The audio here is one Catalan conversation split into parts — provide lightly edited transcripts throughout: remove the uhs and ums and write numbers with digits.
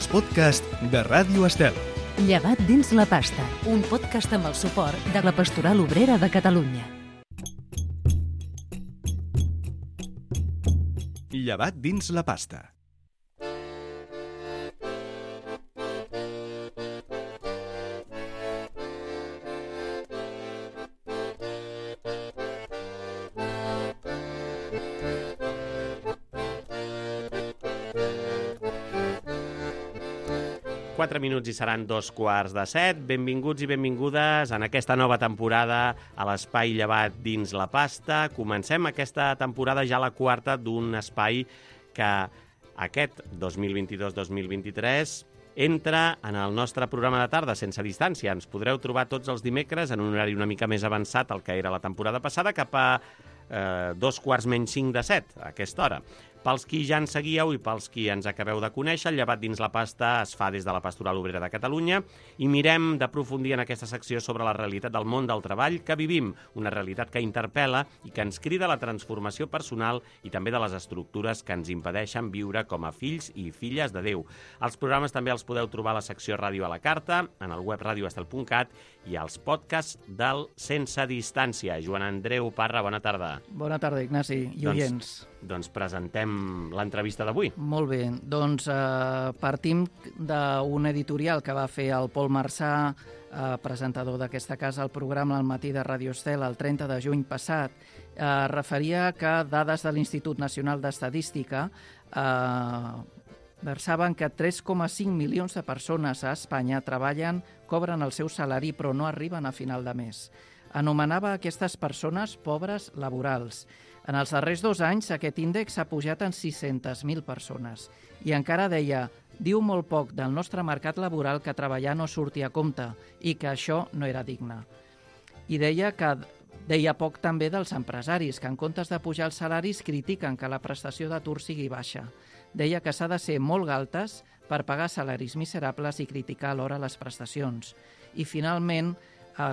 els podcasts de Ràdio Estel. Llevat dins la pasta, un podcast amb el suport de la Pastoral Obrera de Catalunya. Llevat dins la pasta. Minuts i seran 2:15. Benvinguts i benvingudes en aquesta nova temporada a l'Espai Llevat dins la pasta. Comencem aquesta temporada ja la quarta d'un espai que aquest 2022-2023 entra en el nostre programa de tarda sense distància. Ens podreu trobar tots els dimecres en un horari una mica més avançat al que era la temporada passada, cap a 7:45 a aquesta hora. Pels qui ja ens seguíeu i pels qui ens acabeu de conèixer, el Llevat dins la pasta es fa des de la Pastoral Obrera de Catalunya i mirem d'aprofundir en aquesta secció sobre la realitat del món del treball que vivim, una realitat que interpel·la i que ens crida a la transformació personal i també de les estructures que ens impedeixen viure com a fills i filles de Déu. Els programes també els podeu trobar a la secció Ràdio a la Carta, en el web radioestel.cat i als podcasts del Sense Distància. Joan Andreu Parra, bona tarda. Bona tarda, Ignasi i oients. Doncs presentem l'entrevista d'avui. Molt bé, doncs partim d'un editorial que va fer el Pol Marçà, presentador d'aquesta casa, al programa al matí de Ràdio Estel el 30 de juny passat. Referia que dades de l'Institut Nacional d'Estadística versaven que 3,5 milions de persones a Espanya treballen, cobren el seu salari però no arriben a final de mes. Anomenava aquestes persones pobres laborals. En els darrers 2 anys aquest índex s'ha pujat en 600.000 persones. I encara deia, diu molt poc del nostre mercat laboral que treballar no surti a compte i que això no era digne. I deia poc també dels empresaris, que en comptes de pujar els salaris critiquen que la prestació d'atur sigui baixa. Deia que s'ha de ser molt galtes per pagar salaris miserables i criticar alhora les prestacions. I finalment,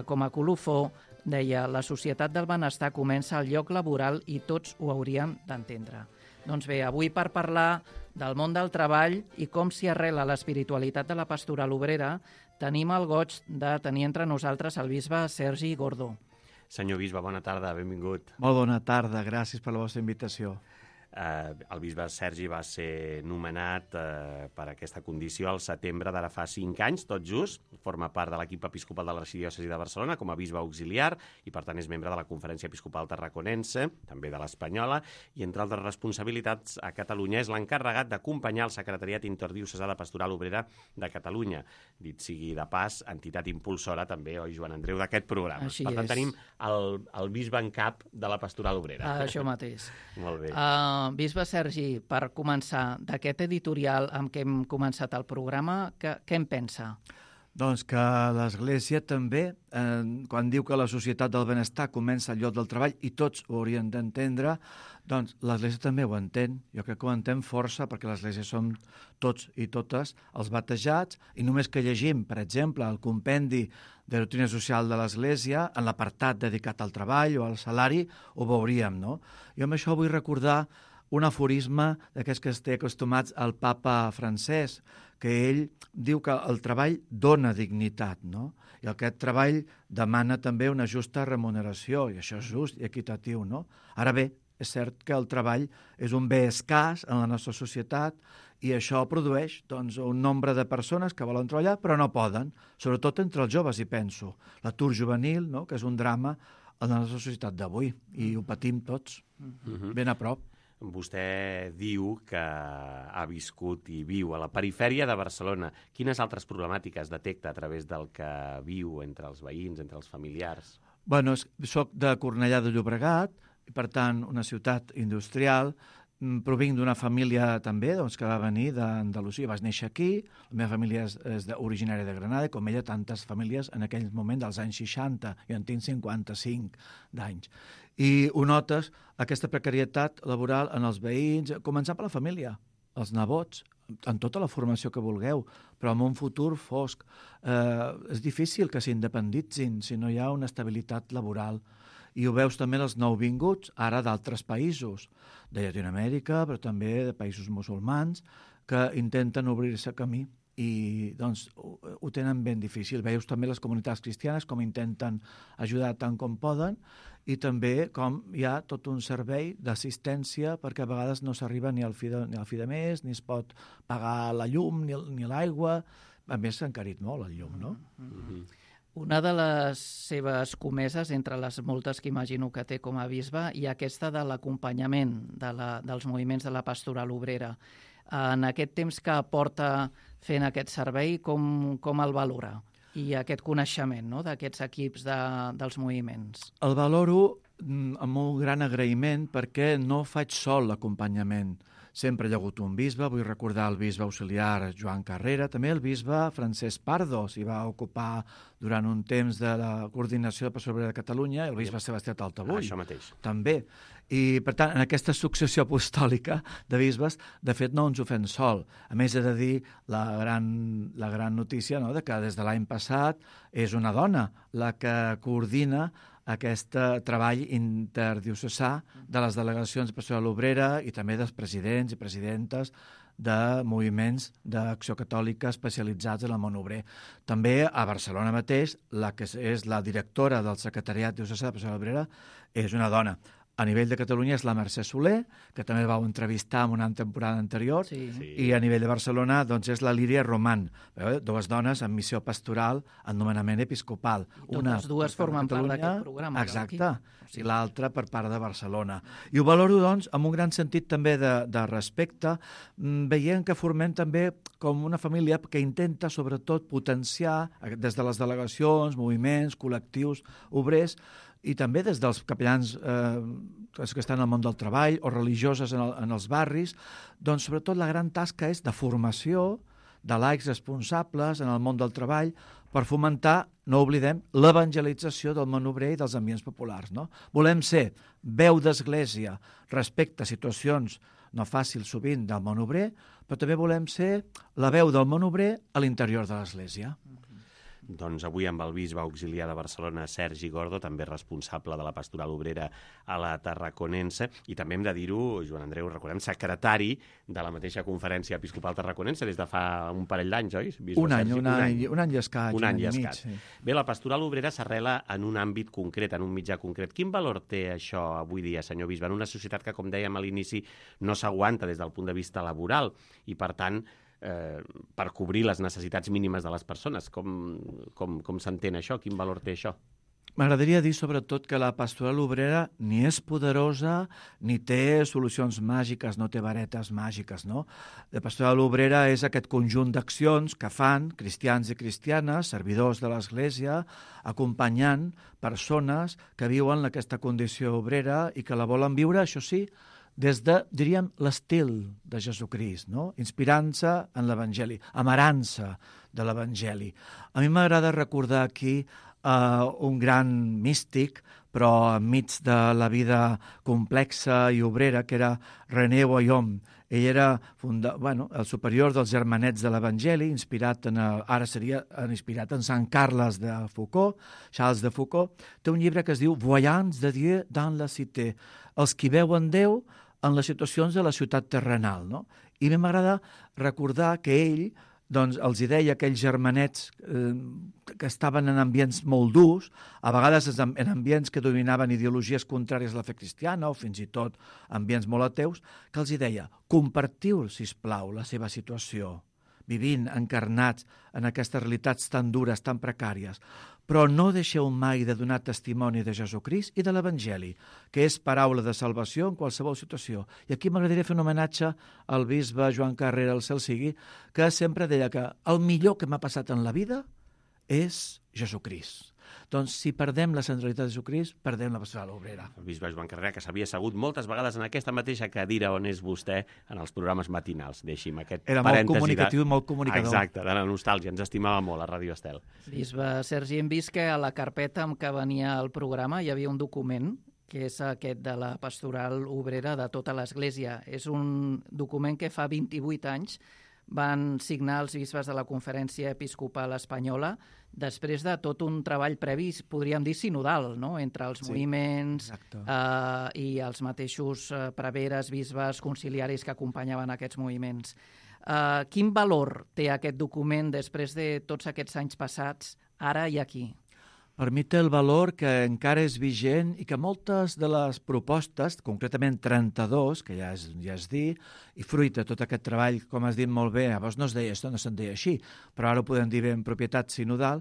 com a colofó, deia, la societat del benestar comença al lloc laboral i tots ho hauríem d'entendre. Doncs bé, avui per parlar del món del treball i com s'hi arrela l'espiritualitat de la Pastoral Obrera, tenim el goig de tenir entre nosaltres el bisbe Sergi Gordó. Senyor bisbe, bona tarda, benvingut. Molt bona tarda, gràcies per la vostra invitació. El bisbe Sergi va ser nomenat per aquesta condició al setembre d'ara fa 5 anys, tot just. Forma part de l'equip episcopal de l'Arxidiòcesi de Barcelona com a bisbe auxiliar i, per tant, és membre de la Conferència Episcopal Tarraconense, també de l'Espanyola, i, entre altres responsabilitats, a Catalunya és l'encarregat d'acompanyar el Secretariat Interdiocesà de Pastoral Obrera de Catalunya. Dit sigui de pas, entitat impulsora també, oi, Joan Andreu, d'aquest programa. Així per tant, és. tenim el bisbe en cap de la Pastoral Obrera. Això mateix. Molt bé. Bisbe Sergi, per començar, d'aquest editorial amb què hem començat el programa, què en pensa? Doncs que l'Església també, quan diu que la societat del benestar comença al lloc del treball, i tots ho haurien d'entendre, doncs l'Església també ho entén. Jo crec que ho entén força, perquè l'Església som tots i totes els batejats, i només que llegim, per exemple, el compendi de doctrina social de l'Església, en l'apartat dedicat al treball o al salari, ho veuríem, no? Jo amb això vull recordar un aforisme d'aquests que es té acostumats al papa Francesc, que ell diu que el treball dona dignitat, no? I aquest treball demana també una justa remuneració, i això és just i equitatiu, no? Ara bé, és cert que el treball és un bé escàs en la nostra societat i això produeix doncs, un nombre de persones que volen treballar però no poden, sobretot entre els joves, hi penso. L'atur juvenil, no? Que és un drama en la nostra societat d'avui, i ho patim tots, ben a prop. Vostè diu que ha viscut i viu a la perifèria de Barcelona. Quines altres problemàtiques detecta a través del que viu entre els veïns, entre els familiars? Bueno, soc de Cornellà de Llobregat, i per tant una ciutat industrial. Provinc d'una família també doncs, que va venir d'Andalusia. Vaig néixer aquí, la meva família és originària de Granada, com ella tantes famílies en aquell moment dels anys 60, jo en tinc 55 d'anys. I ho notes, aquesta precarietat laboral en els veïns, començant per la família, els nebots, en tota la formació que vulgueu, però en un futur fosc. És difícil que s'independitzin si no hi ha una estabilitat laboral. I ho veus també els nouvinguts, ara d'altres països, de Llatinoamèrica, però també de països musulmans, que intenten obrir-se camí i doncs, ho tenen ben difícil. Veus també les comunitats cristianes com intenten ajudar tant com poden i també com hi ha tot un servei d'assistència perquè a vegades no s'arriba ni al fi de mes, ni es pot pagar la llum ni l'aigua. A més, s'ha encarit molt el llum, no? Una de les seves comeses, entre les moltes que imagino que té com a bisbe, i aquesta de l'acompanyament dels moviments de la pastoral obrera. En aquest temps que porta fent aquest servei, com el valora? I aquest coneixement, no?, d'aquests equips dels moviments. El valoro amb un gran agraïment perquè no faig sol l'acompanyament. Sempre hi ha hagut un bisbe, vull recordar el bisbe auxiliar Joan Carrera, també el bisbe Francesc Pardo s'hi va ocupar durant un temps de la coordinació de Pastoral Obrera de Catalunya, el bisbe Sebastià Taltabull. Això mateix. També. I, per tant, en aquesta successió apostòlica de bisbes, de fet, no ens ho fem sol. A més, he de dir la gran notícia, no?, de que des de l'any passat és una dona la que coordina aquest treball interdiocesà de les delegacions de Pastoral Obrera i també dels presidents i presidentes de moviments d'acció catòlica especialitzats en el món obrer. També a Barcelona mateix, la que és la directora del secretariat diocesà de Pastoral Obrera és una dona. A nivell de Catalunya és la Mercè Soler, que també vau entrevistar en una temporada anterior, Sí. i a nivell de Barcelona doncs, és la Lídia Román, dues dones amb missió pastoral en nomenament episcopal. Totes dues formen part d'aquest programa. Exacte, i l'altra per part de Barcelona. I ho valoro, doncs, amb un gran sentit també de respecte, veient que formem també com una família que intenta, sobretot, potenciar des de les delegacions, moviments, col·lectius, obrers, i també des dels capellans que estan al món del treball o religioses en els barris, doncs sobretot la gran tasca és de formació de laics responsables en el món del treball per fomentar, no oblidem, l'evangelització del món obrer i dels ambients populars. No? Volem ser veu d'església respecte a situacions no fàcils sovint del món obrer, però també volem ser la veu del món obrer a l'interior de l'església. Doncs avui amb el bisbe auxiliar de Barcelona, Sergi Gordo, també responsable de la pastoral obrera a la Tarraconense, i també hem de dir-ho, Joan Andreu, recordem, secretari de la mateixa Conferència Episcopal Tarraconense des de fa un parell d'anys, oi? Un any i escaig. Un any i mig. Sí. Bé, la pastoral obrera s'arrela en un àmbit concret, en un mitjà concret. Quin valor té això avui dia, senyor bisbe, en una societat que, com dèiem a l'inici, no s'aguanta des del punt de vista laboral i, per tant, per cobrir les necessitats mínimes de les persones? Com s'entén això? Quin valor té això? M'agradaria dir, sobretot, que la pastoral obrera ni és poderosa ni té solucions màgiques, no té varetes màgiques, no? La pastoral obrera és aquest conjunt d'accions que fan cristians i cristianes, servidors de l'Església, acompanyant persones que viuen aquesta condició obrera i que la volen viure, això sí, des de, diríem, l'estil de Jesucrist, no? Inspirant-se en l'Evangeli, amarant-se de l'Evangeli. A mi m'agrada recordar aquí un gran místic, però enmig de la vida complexa i obrera, que era René Guillaume. Ell era el superior dels Germanets de l'Evangeli, inspirat ara seria inspirat en Sant Carles de Foucault, Charles de Foucault. Té un llibre que es diu Voyants de Dieu dans la cité, els qui veuen Déu en les situacions de la ciutat terrenal. No? I a mi m'agrada recordar que ell els deia a aquells germanets que estaven en ambients molt durs, a vegades en ambients que dominaven ideologies contràries a la fe cristiana o fins i tot ambients molt ateus, que els deia, compartiu, sisplau, la seva situació, vivint encarnats en aquestes realitats tan dures, tan precàries, però no deixeu mai de donar testimoni de Jesucrist i de l'Evangeli, que és paraula de salvació en qualsevol situació. I aquí m'agradaria fer un homenatge al bisbe Joan Carrera, el cel sigui, que sempre deia que el millor que m'ha passat en la vida és Jesucrist. Doncs si perdem la centralitat de Jesucrist, perdem la pastoral obrera. El bisbe Joan Carrera, que s'havia assegut moltes vegades en aquesta mateixa cadira on és vostè en els programes matinals. Deixi'm aquest Era parèntesi. molt comunicatiu i molt comunicador. Exacte, de la nostàlgia. Ens estimava molt a Ràdio Estel. Bisbe Sergi, hem vist que a la carpeta amb què venia el programa hi havia un document que és aquest de la pastoral obrera de tota l'Església. És un document que fa 28 anys van signar els bisbes de la Conferència Episcopal Espanyola després de tot un treball previ, podríem dir sinodal, no? Entre els moviments i els mateixos preveres, bisbes, conciliaris que acompanyaven aquests moviments. Quin valor té aquest document després de tots aquests anys passats, ara i aquí? Per mi té el valor que encara és vigent i que moltes de les propostes, concretament 32, que ja és dir, i fruit de tot aquest treball, com has dit molt bé, llavors no es deia això, no se'n deia així, però ara ho podem dir bé en propietat sinodal,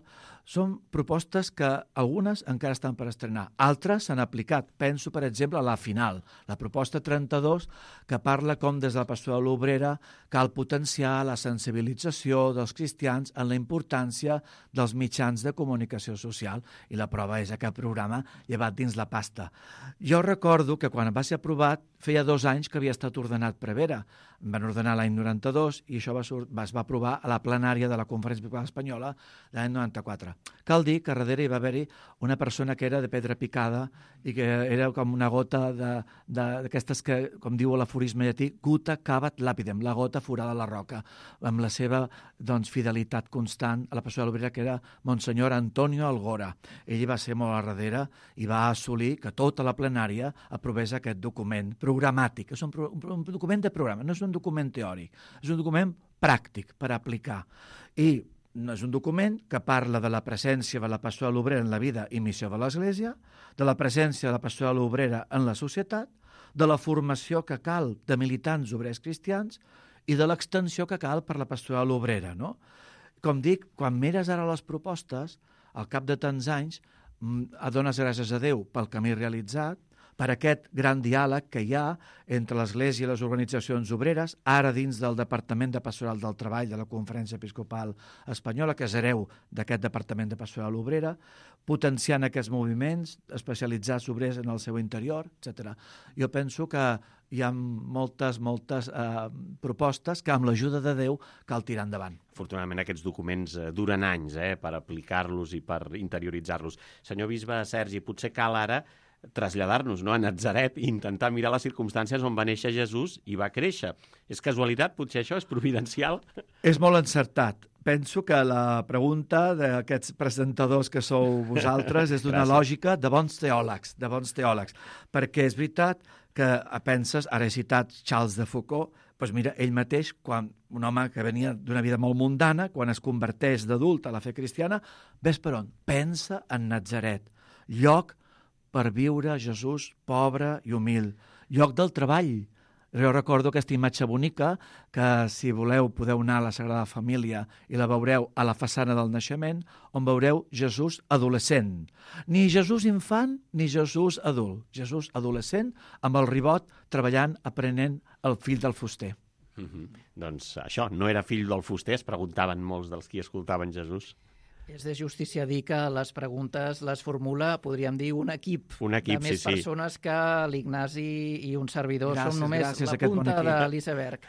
són propostes que algunes encara estan per estrenar, altres s'han aplicat. Penso, per exemple, a la final, la proposta 32, que parla com des de la pastoral obrera cal potenciar la sensibilització dels cristians en la importància dels mitjans de comunicació social, i la prova és aquest programa llevat dins la pasta. Jo recordo que quan va ser aprovat feia 2 anys que havia estat ordenat prevera. Em van ordenar l'any 92 i això es va aprovar a la plenària de la Conferència Episcopal Espanyola l'any 94. Cal dir que darrere hi va haver-hi una persona que era de pedra picada i que era com una gota d'aquestes que, com diu l'aforisme llatí, gutta cavat lapidem, la gota forada a la roca, amb la seva fidelitat constant a la pastoral obrera, que era Monsenyor Antonio Algora. Ell va ser molt a darrere i va assolir que tota la plenària aprovés aquest document programàtic. És un document de programa, no és un document teòric, és un document pràctic per aplicar. I és un document que parla de la presència de la pastoral obrera en la vida i missió de l'Església, de la presència de la pastoral obrera en la societat, de la formació que cal de militants obrers cristians i de l'extensió que cal per la pastoral obrera, no? Com dic, quan mires ara les propostes, al cap de tants anys, dones gràcies a Déu pel camí realitzat, per aquest gran diàleg que hi ha entre l'Església i les organitzacions obreres, ara dins del Departament de Pastoral del Treball de la Conferència Episcopal Espanyola, que és hereu d'aquest Departament de Pastoral Obrera, potenciant aquests moviments, especialitzats obrers en el seu interior, etc. Jo penso que hi ha moltes propostes que amb l'ajuda de Déu cal tirar endavant. Afortunadament aquests documents duren anys per aplicar-los i per interioritzar-los. Senyor bisbe Sergi, potser cal ara traslladar-nos a Natzaret i intentar mirar les circumstàncies on va néixer Jesús i va créixer. És casualitat? Potser això és providencial? És molt encertat. Penso que la pregunta d'aquests presentadors que sou vosaltres és d'una lògica de bons teòlegs, perquè és veritat que penses, ara he citat Charles de Foucault, doncs mira, ell mateix, un home que venia d'una vida molt mundana, quan es converteix d'adult a la fe cristiana, ves per on? Pensa en Natzaret, lloc per viure Jesús pobre i humil, lloc del treball. Jo recordo aquesta imatge bonica que, si voleu, podeu anar a la Sagrada Família i la veureu a la façana del naixement, on veureu Jesús adolescent. Ni Jesús infant ni Jesús adult. Jesús adolescent amb el ribot treballant, aprenent el fill del fuster. Doncs això, no era fill del fuster, es preguntaven molts dels qui escoltaven Jesús. És de justícia dir que les preguntes les formula, podríem dir, un equip de més persones que l'Ignasi i un servidor som només la punta de l'iceberg.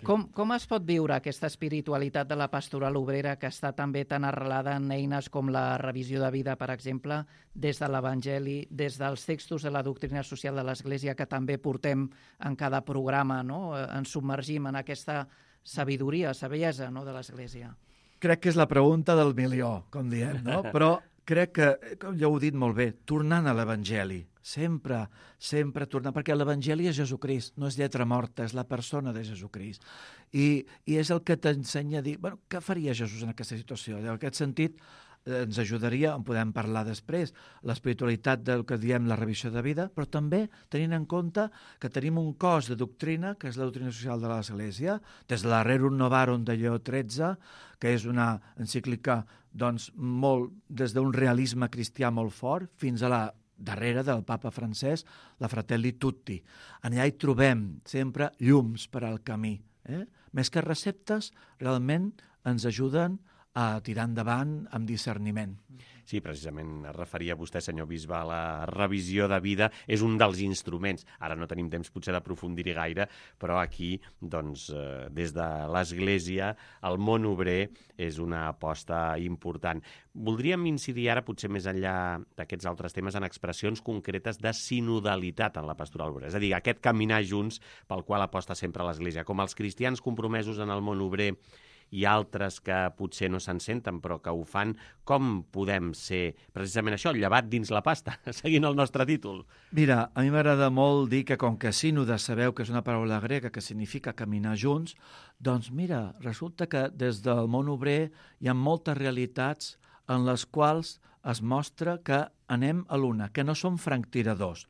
Com es pot viure aquesta espiritualitat de la pastoral obrera que està també tan arrelada en eines com la revisió de vida, per exemple, des de l'Evangeli, des dels textos de la doctrina social de l'Església que també portem en cada programa, no? Ens submergim en aquesta sabidoria, saviesa, no?, de l'Església. Crec que és la pregunta del milió, com diem, no? Però crec que, com ja ho he dit molt bé, tornant a l'Evangeli, sempre tornant, perquè l'Evangeli és Jesucrist, no és lletra morta, és la persona de Jesucrist. I és el que t'ensenya a dir, bueno, què faria Jesús en aquesta situació? En aquest sentit, ens ajudaria, en podem parlar després, l'espiritualitat del que diem la revisió de vida, però també tenint en compte que tenim un cos de doctrina, que és la doctrina social de l'Església, des de la Rerum Novarum de Lleó XIII, que és una encíclica molt des d'un realisme cristià molt fort, fins a la darrere del papa francès, la Fratelli Tutti. Allà hi trobem sempre llums per al camí. Més que receptes, realment ens ajuden a tirar endavant amb discerniment. Sí, precisament es referia vostè, senyor bisbe, a la revisió de vida. És un dels instruments. Ara no tenim temps potser d'aprofundir-hi gaire, però aquí, doncs, des de l'Església, el món obrer és una aposta important. Voldríem incidir ara, potser més enllà d'aquests altres temes, en expressions concretes de sinodalitat en la pastoral obrera. És a dir, aquest caminar junts pel qual aposta sempre l'Església. Com els cristians compromesos en el món obrer i altres que potser no se'n senten però que ho fan, com podem ser precisament això, llevat dins la pasta, seguint el nostre títol? Mira, a mi m'agrada molt dir que com que sínode sabeu que és una paraula grega que significa caminar junts, doncs mira, resulta que des del món obrer hi ha moltes realitats en les quals es mostra que anem a l'una, que no som franctiradors.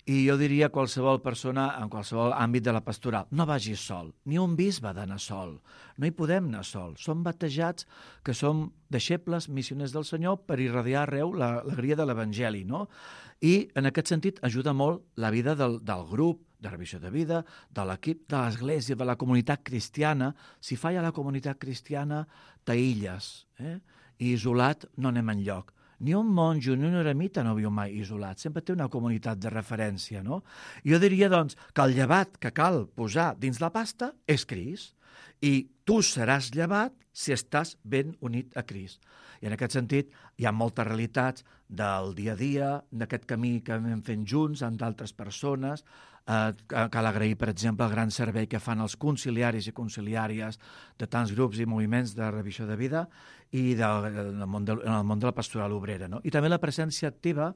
I jo diria a qualsevol persona, en qualsevol àmbit de la pastoral, no vagis sol, ni un bisbe ha d'anar sol, no hi podem anar sol. Som batejats que som deixebles, missioners del Senyor per irradiar arreu l'alegria de l'Evangeli, no? I en aquest sentit ajuda molt la vida del grup, de revisió de vida, de l'equip, de l'Església, de la comunitat cristiana. Si falla la comunitat cristiana, t'aïlles, i isolat no anem enlloc. Ni un monjo ni un eremita no viu mai isolat, sempre té una comunitat de referència, no? Jo diria, doncs, que el llevat que cal posar dins la pasta és Crist, i tu seràs llevat si estàs ben unit a Crist. I en aquest sentit hi ha moltes realitats del dia a dia, d'aquest camí que anem fent junts amb d'altres persones. Cal agrair, per exemple, el gran servei que fan els conciliaris i conciliàries de tants grups i moviments de revisió de vida i en el món de la pastoral obrera, no? I també la presència activa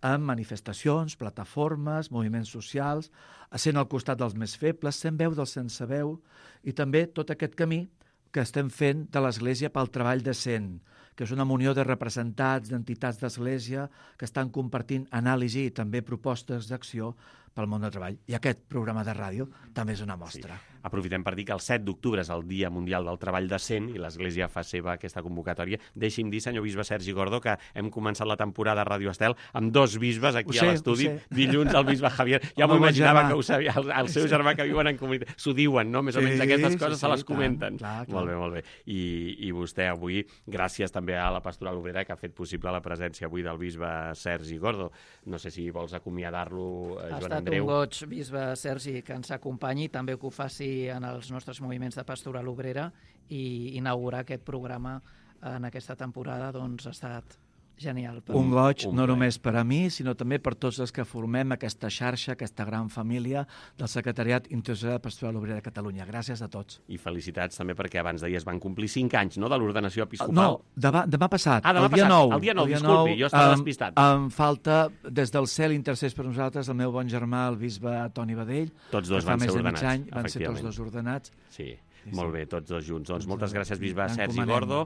en manifestacions, plataformes, moviments socials, sent al costat dels més febles, sent veu dels sense veu, i també tot aquest camí que estem fent de l'Església pel treball decent, que és una munió de representats, d'entitats d'Església que estan compartint anàlisi i també propostes d'acció pel món del treball. I aquest programa de ràdio també és una mostra. Sí. Aprofitem per dir que el 7 d'octubre és el Dia Mundial del Treball Decent i l'Església fa seva aquesta convocatòria. Deixi'm dir, senyor bisbe Sergi Gordo, que hem començat la temporada a Ràdio Estel amb 2 bisbes aquí a l'estudi. Dilluns el bisbe Javier, ja m'ho imaginava que ho sabia, el seu germà que viuen en comunitat. S'ho diuen, no? Més o menys aquestes coses se les comenten. Clar. Molt bé. I vostè avui, gràcies també a la Pastoral Obrera, que ha fet possible la presència avui del bisbe Sergi Gordo. No sé si vols acomiadar-lo, Joan Andreu. Ha estat un goig, bisbe Sergi, que ens acompanyi, també que ho faci en els nostres moviments de pastoral obrera, i inaugurar aquest programa en aquesta temporada doncs ha estat genial. Un goig no només per a mi, sinó també per tots els que formem aquesta xarxa, aquesta gran família del Secretariat Internacional de Pastoral Obrera de Catalunya. Gràcies a tots. I felicitats també perquè abans d'ahir es van complir 5 anys, no?, de l'ordenació episcopal. No, demà passat. Demà el dia passat. 9. El dia 9, disculpi, jo estava despistat. Em falta, des del cel intercés per nosaltres, el meu bon germà, el bisbe Toni Badell. Tots dos van ser ordenats. Fa més de mig any van ser tots dos ordenats. Sí. Molt bé, tots dos junts. Doncs moltes gràcies, bisbe Sergi Gordo.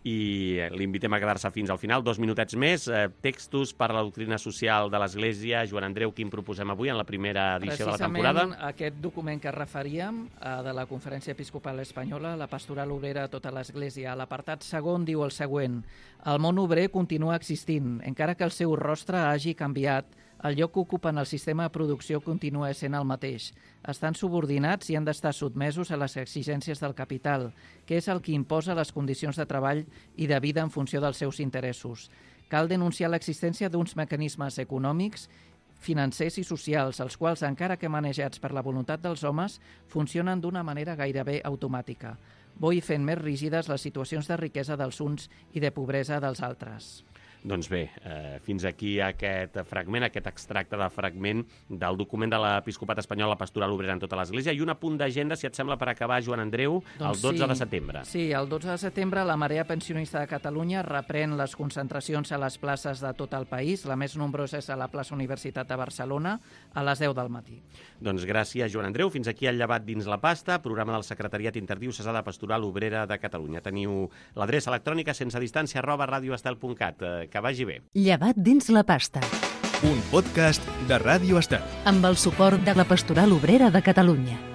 I l'invitem a quedar-se fins al final, 2 minutets més. Textos per a la doctrina social de l'Església. Joan Andreu, quin proposem avui en la primera edició de la temporada? Precisament aquest document que referíem de la Conferència Episcopal Espanyola, la Pastoral Obrera a tota l'Església. A l'apartat segon diu el següent: el món obrer continua existint, encara que el seu rostre hagi canviat. El lloc que ocupen el sistema de producció continua sent el mateix. Estan subordinats i han d'estar sotmesos a les exigències del capital, que és el que imposa les condicions de treball i de vida en funció dels seus interessos. Cal denunciar l'existència d'uns mecanismes econòmics, financers i socials, els quals, encara que manejats per la voluntat dels homes, funcionen d'una manera gairebé automàtica, bo i fent més rígides les situacions de riquesa dels uns i de pobresa dels altres. Doncs bé, fins aquí aquest fragment, aquest extracte de fragment del document de l'Episcopat Espanyol, la Pastoral Obrera en tota l'Església, i un apunt d'agenda, si et sembla, per acabar, Joan Andreu, el 12 de setembre. Sí, el 12 de setembre la Marea Pensionista de Catalunya reprèn les concentracions a les places de tot el país. La més nombrosa és a la plaça Universitat de Barcelona, a les 10 del matí. Doncs gràcies, Joan Andreu. Fins aquí el llevat dins la pasta, programa del Secretariat Interdiocesà de Pastoral Obrera de Catalunya. Teniu l'adreça electrònica sensedistància@radioestel.cat. Que vagi bé. Llevat dins la pasta. Un podcast de Ràdio Estel. Amb el suport de la Pastoral Obrera de Catalunya.